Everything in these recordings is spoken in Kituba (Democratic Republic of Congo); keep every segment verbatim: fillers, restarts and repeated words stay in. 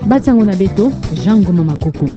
Bansangu na beto, Jean Ngoma Makuku.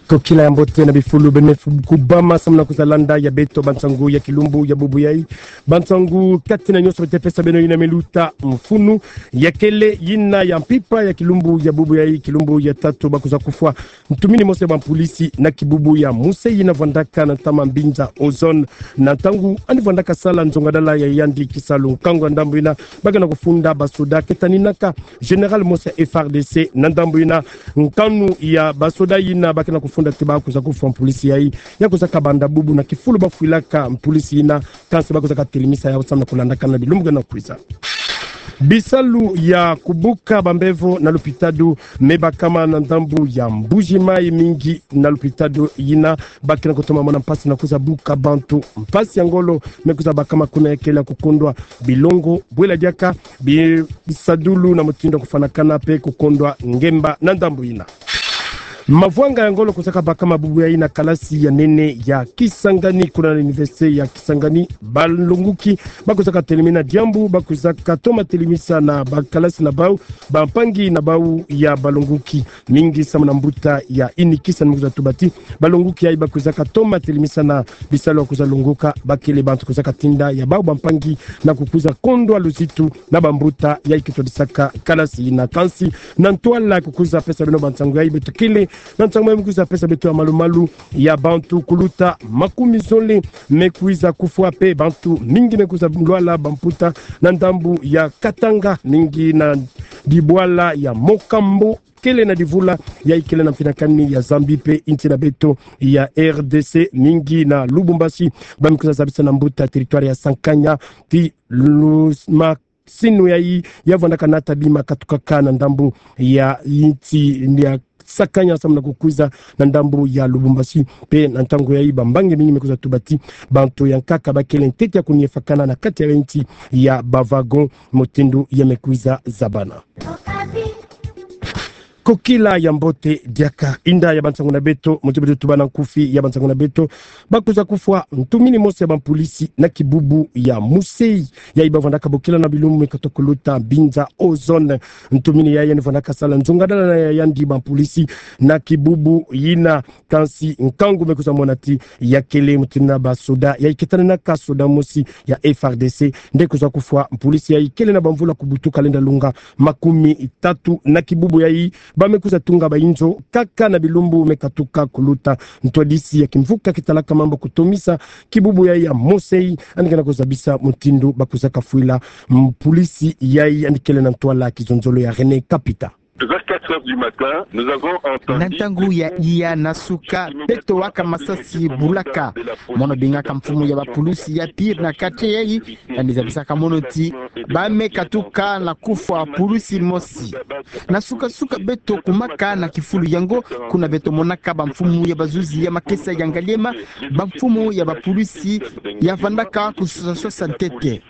Kokila ya mbote na bifulu beno me fu-, kubama samu na kwiza landa ya beto bansangu ya kilumbu ya bubu yayi. Bansangu kati na nyonso beto pesa beno yina me luta mfunu. Ya kele yina ya mpimpa ya kilumbu ya bubu yayi, kilumbu ya tatu, ba kwiza kufwa ntumini mosi ya bampolisi na kibubu ya Musei yina vwandaka na ntama mbinza Ozone. Na ntangu yandi vwandaka sala nzongadala ya yandi kisalu, nkangu ya ndambu yina ba ke na kufunda basoda ketaninaka général mosi ya F R D C. Na ndambu yina, nkanu ya basoda yina ba ke na kufunda ti ba kwiza kufwa mpolisi yayi, ya kwizaka banda bubu na kifulu ba fwilaka mpolisi yina, kansi ba kwizaka telemisa yawu samu na kulandakana bilumbu ke na kwiza. Bisalu ya kubuka bambevo na lupitalo me bakama na ndambu ya Mbuji Mayi. Mingi na lupitalo yina ba ke na kutoma mona mpasi na kwiza buka bantu. Mpasi ya ngolo me kwiza bakama kuna, ya kele kukondwa bilongo, bwela diaka bi-, bisadulu na mutindu ya kufwanakana mpe kukondwa ngemba na ndambu yina. Mavwanga ya ngolo kwizaka bakama bubu yayi na kalasi ya nene ya Kisangani, kuna na université ya Kisangani. Balongoki ba kwizaka telemina diambu, ba kwizaka toma telemisa na bakalasi na bawu, bampangi na bawu ya balongoki. Mingi samu na mbuta ya UNIKISA ni me kwiza tuba ti balongoki yayi ba kwizaka toma telemisa na bisalu ya kwiza longoka, ba kele bantu kwizaka tinda ya bawu bampangi na kukwiza kondwa luzitu na bambuta yayi ke twadisaka kalasi yina. Kansi na ntwala ya kukwiza pesa beno bansangu yayi, beto kele na nsangu me kwiza pesa beto ya malu-malu ya bantu kuluta makumi zole me kwiza kufwa, mpe bantu mingi me kwiza lwala bamputa na ndambu ya Katanga, mingi na dibwala ya Mokambo, kele na divula yayi kele na mfinakani ya Zambie mpe insi na beto ya R D C, mingi na Lubumbashi. Ba me kwiza zabisa na mbuta territoire ya Sankanya ti lu-, ma- sinu yayi ya vwandaka nata bima katukaka na ndambu ya insi ya Sankanya samu na kukwiza na ndambu ya Lubumbashi. Mpe na ntangu yayi bambangi mingi me kwiza tuba ti bantu ya nkaka ba kele ntete ya kuniefakana na kati ya insi ya ba wagon, mutindu ya me kwiza zabana. Kokila ya mbote diaka. Inda ya bansangu na beto, mutindu beto tubana nkufi ya bansangu na beto, ba kwiza kufwa ntumini mosi ya bampolisi na kibubu ya Musei yayi ba vwandaka bokila na bilumbu me katuka kuluta mbinza Ozone. Ntumini yayi yandi vwandaka sala nzongadala na ya yandi bampolisi na kibubu yina. Kansi nkangu me kwiza mona ti ya kele mutindu na basoda yayi ketaninaka soda mosi ya F R D C nde kwiza kufwa. Mpolisi yayi kele na bamvula kubutuka lenda lunga makumi tatu. Na kibubu yayi ba me kwiza tunga bainzo kaka na bilumbu me katuka kuluta. Ntwadisi ya kimvuka kitalaka mambu kutomisa kibubu yayi ya Musei yandi ke na kuzabisa mutindu ba kwizaka fwila mpolisi yayi. Yandi kele na ntwala kizonzolo ya René Kapita. Vers quatre heures du matin, nous avons entendu... Na ntangu ya iya na suka, beto waka masasi bulaka. Mono bingaka mfumu ya bapulusi ya Pire na quartier yayi, yandi zabisaka mono ti ba me katuka na kufwa pulusi mosi. Na suka-suka beto kumaka na kifulu yango, kuna beto monaka bamfumu ya bazuzi ya makesa ya Ngaliema, bamfumu ya bapulusi ya vandaka kusosa-sosa ntete.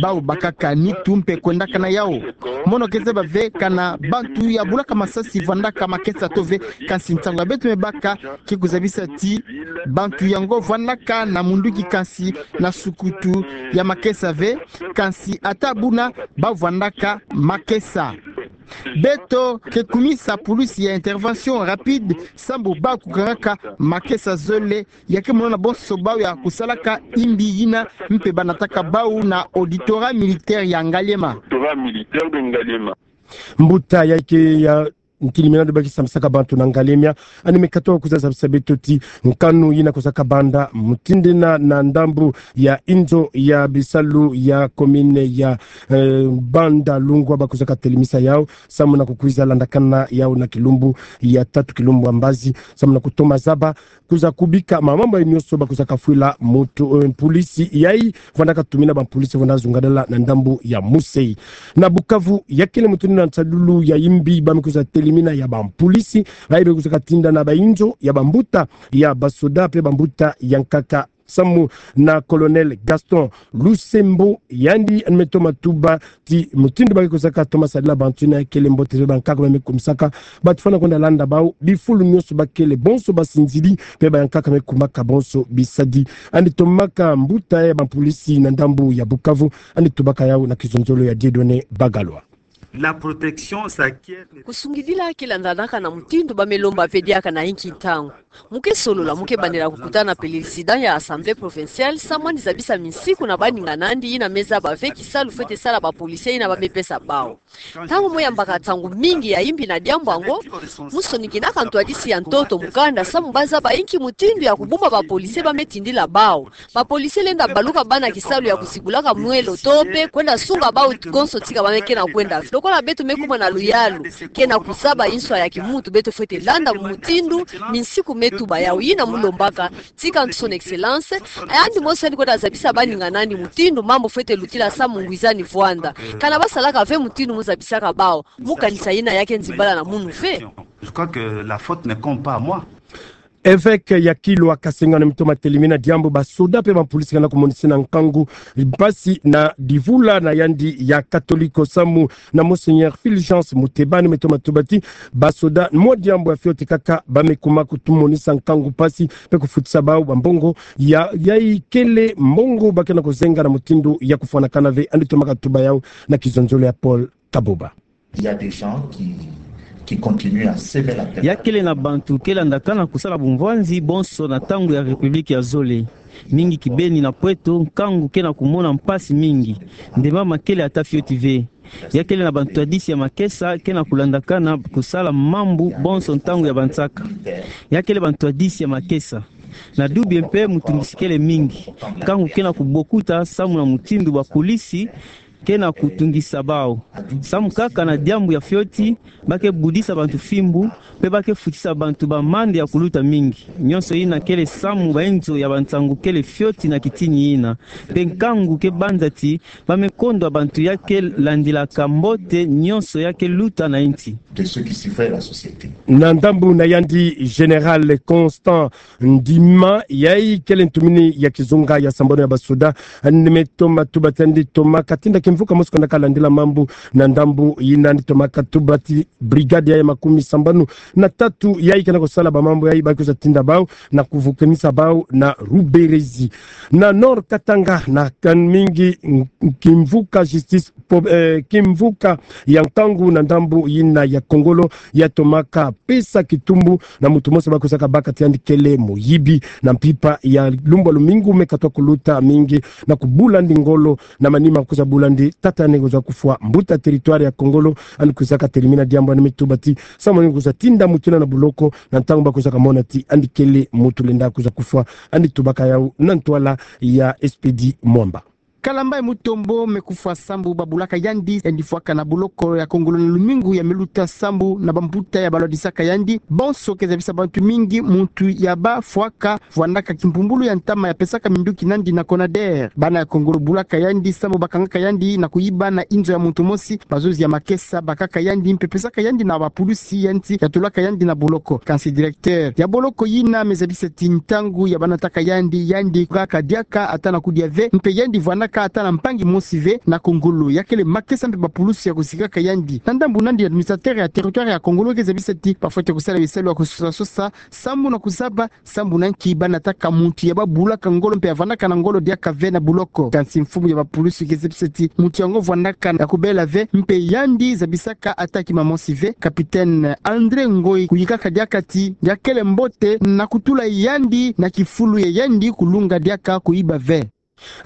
Bawu bakaka nitu mpe kwendaka na yawu. Mono ke zaba ve kana bantu ya bulaka masasi vandaka makesa to ve, kansi nsangu ya beto me baka ke kuzabisa ti bantu yango vandaka na munduki kansi na sukutu ya makesa ve, kansi ata buna ba vandaka makesa. Beto ke kumisa pulusi ya intervention rapide sambu ba kukangaka makesa zole, ya ke monana bonso bawu ya kusalaka imbi yina, mpe ba nataka bawu na auditorat militaire ya Ngaliema. Auditorat militaire de Ngaliema. Mbuta yayi ke ya ntilimina ndo ba ke sambisaka bantu na Ngaliema, yandi me katuka kwiza zabisa beto ti nkanu yina kwizaka banda mutindu yina na ndambu ya inzo ya bisalu ya commune ya, eh, Banda Lungwa ba kwizaka telemisa yawu samu na kukwiza landakana yawu na kilumbu ya tatu, kilumbu ya mbazi, samu na kutoma zaba kwiza kubika mambu nyonso ba kwizaka fwila mutu, eh, mpulisi yayi vandaka tumina bampulisi vanda zungadala na ndambu ya Musei. Na Bukavu, ya kele mutu na nsadulu ya imbi ba me kwiza telimina ya bampulisi bayi be kwizaka tinda na bainzo ya bambuta ya basoda mpe bambuta ya nkaka, samu na Colonel Gaston Lusembo, yandi yandi me toma tuba ti mutindu ba ke kwizaka toma sadila bantu yina ya kele mbote ve, bankaka ba me kumisaka bantu fwana kwenda landa bawu bifulu nyonso ba kele, bonso basinzili mpe bankaka me kumaka bonso bisadi. Yandi tomaka mbuta ya bampulisi na ndambu ya Bukavu, yandi tubaka yawu na kizonzolo ya Dieudonné Bagalwa. La protection s'acquiert. Kusungidila ke landanaka na mutindu ba me lomba ve diaka na inki ntangu. Mu ke solola, mu ke bandela kukutana na pelesida ya Assemblée provinciale, samu andi zabisa minsiku na baningana'andi yina me zaba ve kisalu fwete sala ba policiers yina ba me pesa bawu. Ntangu mo yambaka nsangu mingi ya imbi na diambu yango, mu sonikinaka ntwadisi ya ntoto mukanda samu ba zaba inki mutindu ya kubumba ba policiers ba me tindila bawu. Ba policiers lenda baluka bana kisalu ya kuzibulaka mwelo to pe kwenda sunga bawu konso tika ba me kena kwenda. Lokola beto me kuma na luyalu, kena kuzaba inswa ya kimuntu, beto fwete landa mutindu minsiku me tuba. Yawu yina mu lombaka, tika Son Excellence, yandi mosi yandi kwenda zabisa baningana'andi mutindu mambu fwete lutila samu ngwizani vwanda. Kana ba salaka ve mutindu mu zabisaka bawu, mu kanisa yina ya ke nzimbala na munu ve. Je crois que la faute n'incombe pas à moi. Evêque ya Kilwa Kasenga na mito matelemi na diambu ba soda pe ba policiers kana kumonisina nkangu mpasi na divula na yandi ya Katoliko samu na Monseigneur Fulgence Mutebani, me toma tuba ti ba soda mwa diambu ya fioti kaka ba me kuma kutumonisa nkangu mpasi pe kufutisa bawu ba mbongo ya, ya ikele mbongo ba kena kuzenga na mutindu ya kufwanakana ve. Andi tomaka tuba yawu na kizonzolo ya Paul Kaboba. Il y a des gens qui, qui continuent à semer la terreur. Ya kele na bantu ke landakana kusala bumvwanzi bonso na ntangu ya République ya zole. Mingi kibeni na Pweto, nkangu kena kumona mpasi mingi. Ndemba ma kele ata fioti ve. Ya kele na bantwadisi ya makesa kena kulandakana kusala mambu bonso ntangu ya bansaka. Ya kele bantwadisi ya makesa. Na dubie mpe mutungisi kele mingi. Nkangu kena kubokuta samu na mutindu ba policiers kena kutungisa bawu. Samu kaka na diambu ya fioti, ba ke budisa bantu fimbu, pe ba ke futisa bantu b'amande ya kuluta mingi. Nyonso yina kele samu ba inzo ya bansangu kele fioti na kitini yina. Pe nkangu ke banza ti ba me kondwa bantu ya ke landilaka mbote nyonso ya ke luta na insi. De ceux qui surveillent la société. Na ndambu na yandi, Général Constant Ndima, yayi kele ntumini ya kizunga ya sambanu ya basoda, andi me toma tuba ti andi tomaka tinda kimvuka mosi ko na kalandila mambu na ndambu yina. Andi tomaka tuba ti brigade yayi ya makumi sambanu na tatu yayi kena kusala ba mambu yayi ba kwiza tinda bawu na kuvukanisa bawu na Ruberizi. Na Nord Katanga na kani mingi, kimvuka justice po-, eh, kimvuka ya nkangu na ndambu yina ya Kongolo ya tomaka pesa kitumbu na muntu mosi ba kwizaka baka ti andi kele moyibi na mpimpa ya lumbu lumingu me katwa kuluta mingi na kubula andi ngolo. Na manima kwiza bula andi, tata andi kwiza kufwa, mbuta territoire ya Kongolo andi kwizaka telimina diambu, andi me tuba ti samu andi kwiza tinda muntu yina na buloko na ntangu ba kwizaka mona ti andi kele muntu lenda kwiza kufwa. Andi tubaka yawu na ntwala ya Expedit Mwamba. Kalamba ya Mutombo me kufwa sambu ba bulaka yandi, yandi fwaka na buloko ya Kongolo na lumingu ya me luta sambu na bambuta ya balwadisaka yandi. Bonso ke zabisa bantu mingi muntu ya ba fwaka vwandaka kimpumbulu ya ntama ya pesaka minduki nandi na Conader. Bana ya Kongolo bulaka yandi sambu ba kangaka yandi na kuyiba na inzo ya muntu mosi. Bazuzi ya makesa bakaka yandi mpe pesaka yandi na ba pulusi ya nsi ya tulaka yandi na buloko. Kansi directeur ya boloko yina me zabisa ti ntangu ya ba nataka yandi, yandi kaka diaka ata na kudia ve, mpe yandi vwandaka ata na mpangi mosi ve na Kongolo. Ya kele makesa mpe ba pulusi ya kusikaka yandi. Na ndambu nandi, administrateur ya territoire ya Kongolo ke zabisa ti ba fwete kusala bisalu ya kusosa-sosa sambu na kuzaba sambu na nki ba nataka muntu ya ba bulaka ngolo mpe ya vwandaka na ngolo diaka ve na buloko. Kansi mfumu ya ba pulusi ke zabisa ti muntu yango vwandaka ya kubela ve, mpe yandi zabisaka ata kima mosi ve. Capitaine André Ngoyi kuyikaka diaka ti ya kele mbote na kutula yandi na kifulu ya yandi kulunga diaka kuyiba ve.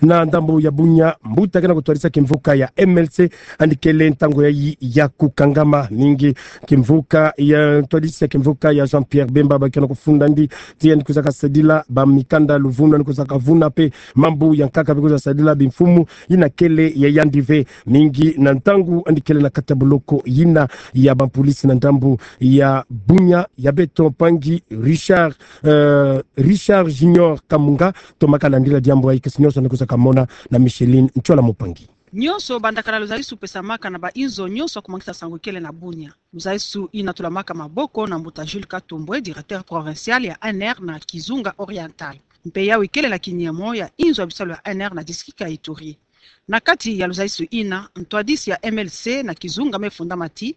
Na ndambu ya Bunia, mbuta kena kutwadisa kimvuka ya M L C andi kele ntangu yayi ya kukangama mingi. Kimvuka ya, ntwadisi ya kimvuka ya Jean-Pierre Bemba ba kena kufunda andi ti andi kwizaka sadila ba mikanda luvunu, andi kwizaka vuna mpe mambu ya nkaka mpe kwiza sadila bimfumu yina kele ya yandi ve. Mingi na ntangu andi kele na kati ya boloko yina ya ba pulusi na ndambu ya Bunia, ya beto mpangi Richard, eh, Richard Junior Kamunga, tomaka landila diambu yayi, kasi nyonso andi kwizaka mona na Micheline Ntiola Mupangi. Nyonso bandaka na luzalisu pesamaka na ba inzo nyonso ya kumwangisa nsangu kele na Bunia. Luzalisu yina tulamaka maboko na mbuta Jules Katumbwe, directeur provincial ya A N R na Kizunga Oriental. Mpe yawu kele na kiniemo ya inzo ya bisalu ya A N R na district ya Ituri. Na kati ya luzalisu yina, ntwadisi ya M L C na Kizunga me fundama ti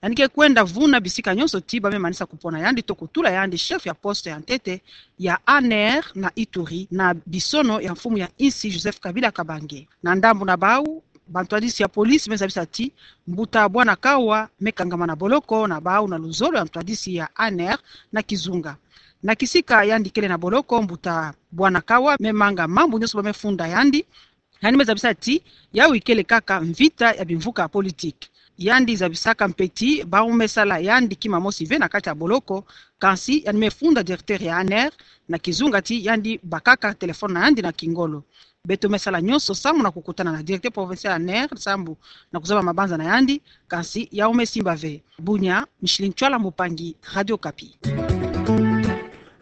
yandi ke kwenda vuna bisika nyonso ti ba me manisa kupona yandi to kutula yandi chef ya poste ya ntete ya A N R na Ituri, na bisono ya mfumu ya insi Joseph Kabila Kabange. Na ndambu na bawu, Bantwadisi ya police me zabisa ti mbuta Bwana Kawa me kangama na boloko na bau na luzolo ya ntwadisi ya ANR na kizunga. Na kisika yandi kele na boloko, mbuta Bwana Kawa me manga mambu nyonso bau me funda yandi. Yandi me zabisa ti yawu ikele kaka mvita ya bimvuka ya politique. Yandi zabisaka mpe ti bau me sala yandi kima mosi ve na kati ya boloko, kansi yandi me funda directeur ya ANR na kizunga ti yandi bakaka téléphone na yandi na kingolo. Beto me sala nyonso sambu na kukutana na directeur provincial ya ANR sambu na kuzaba mabanza na yandi, kansi yawu me simba ve. Bunia, Micheline Tswala Mupangi, Radio Okapi.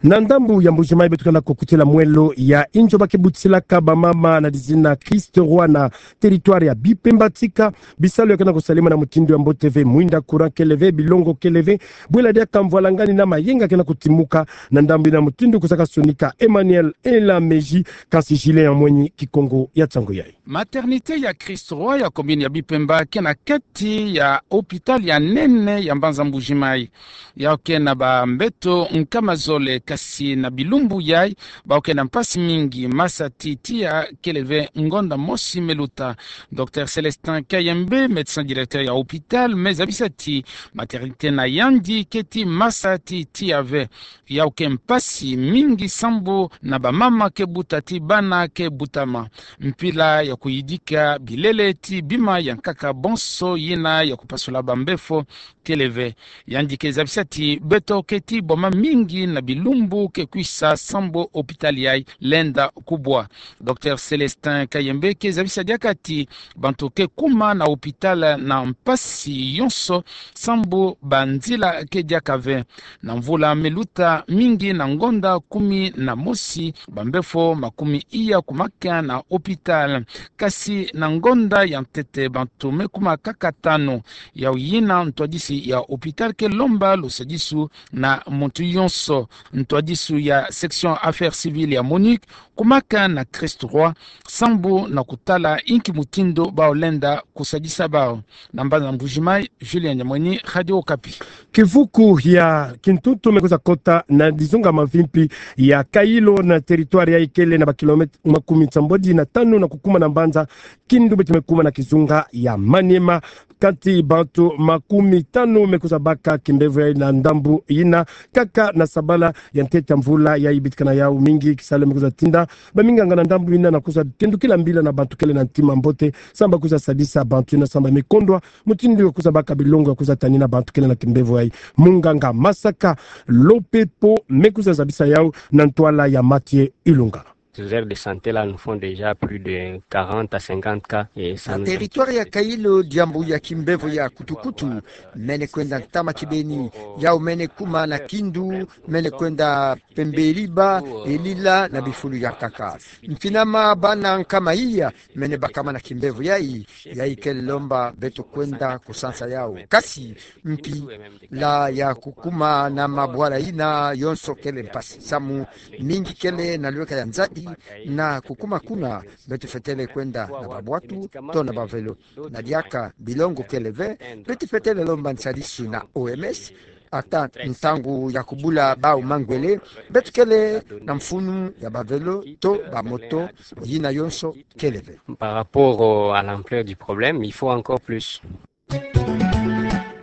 Na ndambu ya Mbuji-Mayi beto ke na kukutila mwelo ya inzo ba ke butisilaka bamama na dizina Christ Roi na territoire ya Bipemba. Tika bisalu ya ke na kusalema na mutindu ya mbote ve, mwinda courant kele ve, bilongo kele ve, bwela diaka mvwalangani na mayenga ke na kutimuka na ndambu yina. Mutindu kusaka sonika Emmanuel Elameji, kansi Julien Yamweni Kikongo ya tsangu yayi. Maternité ya Christ Roi ya commune ya Bipemba ke na kati ya hôpital ya nene ya mbanza Mbuji-Mayi. Yawu ke na bambeto nkama zole, kasi na bilumbu yayi bau ke na mpasi mingi. Masa ti tiya kele ve ngonda mosi me luta. Docteur Célestin Kayembe, médecin directeur ya hôpital, me zabisa ti maternité na yandi ke ti masa ti tiya ve. Yawu ke mpasi mingi sambu na bamama ke buta ti bana ke butama. Mpila ya kuyidika bilele ti bima ya nkaka bonso, yina ya kupasula bambefo, kele ve. Yandi ke zabisa ti beto ke ti boma mingi na bilumbu ke kwisa sambu hôpital yayi lenda kubwa. Docteur Célestin Kayembe ke zabisa diaka ti bantu ke kuma na hôpital na mpasi yonso sambu banzila ke diaka ve. Na mvula me luta mingi, na ngonda kumi na mosi, bambefo makumi iya kumaka na hôpital. Kasi na ngonda ya ntete bantu me kuma kaka tanu. Yawu yina ntwadisi ya hôpital ke lomba lusadisu na muntu yonso. Ntwadisi ya section affaires civiles ya MONUC kumaka na Christ Roi sambu na kutala inki mutindu bau lenda kusadisa bau. Na mbanza Mbuji-Mayi, Julien Yamweni, Radio Okapi. Kivuku ya kintuntu me kwiza kota na dizunga mavimpi ya Kayilo na territoire yayi kele na ba kilomètre makumi nsambwadi na tanu na kukuma na mbanza Kindu, beto me kuma na kizunga ya Maniema. Kati bantu makumi tanu me kwiza baka kimbevo yayi na ndambu yina, kaka na sabala ya ntete ya mvula yayi. Bitika na yawu mingi kisalu me kwiza tinda baminganga na ndambu yina na kwiza tendukila mbila na bantu kele na ntima mbote sambu kwiza sadisa bantu yina sambu me kondwa mutindu ya kwiza baka bilongo ya kwiza tanina bantu kele na kimbevo yayi. Munganga Masaka Lopepo me kwiza zabisa yawu na ntwala ya Mathieu Ilunga. Ces aires de santé là nous font déjà plus de quarante à cinquante cas et ça... Na territoire ya Kayilo, diambu ya kimbevo ya kutukutu mene kwenda ntama kibeni. Yawu mene kuma na Kindu, mene kwenda Pembe-Liba, Elila na bifulu ya nkaka. Mfinama bana nkama iya mene bakama na kimbevo yayi. Yayi ke lomba beto kwenda kusansa yawu. Kasi mpila ya kukuma na mabwala yina yonso kele mpasi. Samu mingi kele na lweka ya nzadi na kukuma kuna. Beto fwetele kwenda na babwatu to na ba vélo. Na diaka bilongo kele ve. Beto fwetele lomba nsadisu na O M S, ata ntangu ya kubula bau mangwele. Beto kele na mfunu ya ba vélo to ba moto, yina yonso kele ve. Par rapport au, à l'ampleur du problème, il faut encore plus.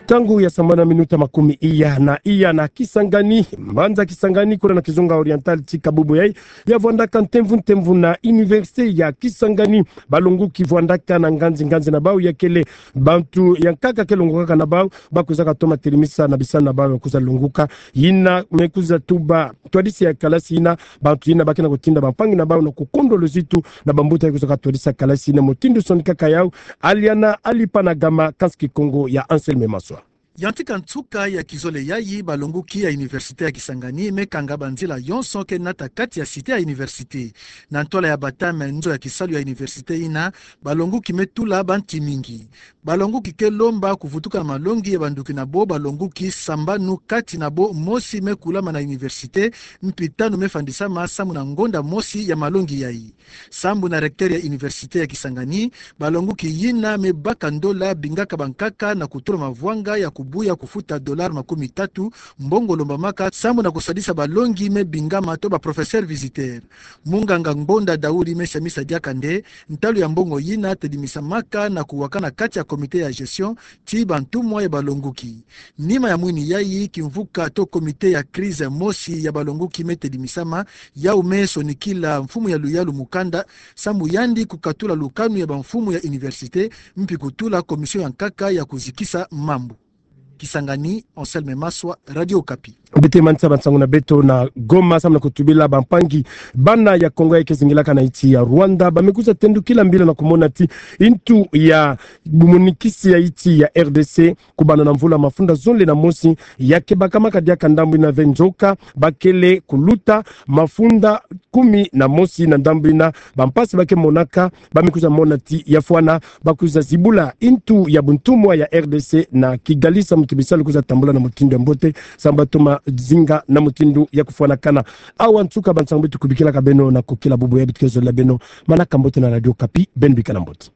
Ntangu ya sambanu na minuta makumi iya na iya na Kisangani, mbanza Kisangani, kuna na kizunga oriental ti Kabubu yayi, ya vwandaka ntemvu ntemvu na université ya Kisangani. Balonguki vwandaka na nganzi nganzi na bau, ya kele bantu ya nkaka ke longokaka na bau, ba kwizaka toma telimisa na bisalu na bau ya kwiza longuka. Yina me kwiza tuba ntwadisi ya kalasi yina, bantu yina ba ke na kutinda bampangi na bau na kukondwa luzitu na bambuta ya kwizaka twadisa kalasi yina. Mutindu sonikaka yawu, Aliana Alipanagama, kansi Kikongo ya Anselme Maswa. Ya ntika nsuka ya kizole yayi, balonguki ya université ya Kisangani me kanga banzila yonso ke nata kati ya cité ya université. Na ntwala ya batame nzo ya kisalu ya université yina, balonguki me tula banti mingi. Balonguki ke lomba kuvutuka na malongi ya bandoki na bo. Balonguki sambanu kati na bo, mosi me kulama na université, mpi tanu me fandisama samu na ngonda mosi ya malongi yayi. Sambu na recteur ya université ya Kisangani, balonguki yina me baka ndola bingaka bankaka na kutula mavwanga ya ku Buya kufuta dollar makumi tatu, mbongo lombamaka sambu na kusadisa balongi me bingama to ba professeur visiteur. Munganga Ngbonda Daouri me siamisa diaka nde, ntalu ya mbongo yina tedimisamaka na kuwakana kati ya comité ya gestion, ti bantumwa ya balonguki. Nima ya mwini yayi, kimvuka to comité ya crise mosi ya balonguki me tedimisama, yau me sonikila mfumu ya luyalu mukanda, sambu yandi kukatula lukanu ya bamfumu ya université, mpi kutula commission ya nkaka ya kuzikisa mambu. Kisangani, Anselme Maswa, Radio Okapi. Beto manisa bansangu na beto na Goma, sambu na kutubila bampangi bana ya Kongo ya ke zingilaka na insi ya Rwanda, ba me kwiza tendukila mbila na kumona ti intu ya bumunikisi ya insi ya R D C, kubanda na mvula mafunda zole na mosi, ya ke bakamaka diaka ndambu ina ve nzoka, ba kele kuluta mafunda kumi na mosi na ndambu ina, bampasi ba ke monaka, ba me kwiza mona ti ya fwana, ba kwiza zibula intu ya buntumwa ya R D C na Kigali, sambu ti bisalu kwiza tambula na mutindu ya mbote, sambu ba toma zinga na mutindu ya kufwanakana. Awa nsuka bansangu beto kubikilaka beno na kukila bubu ya beto ke zolila beno. Manaka mbote na Radio Okapi, beno bika na mbote.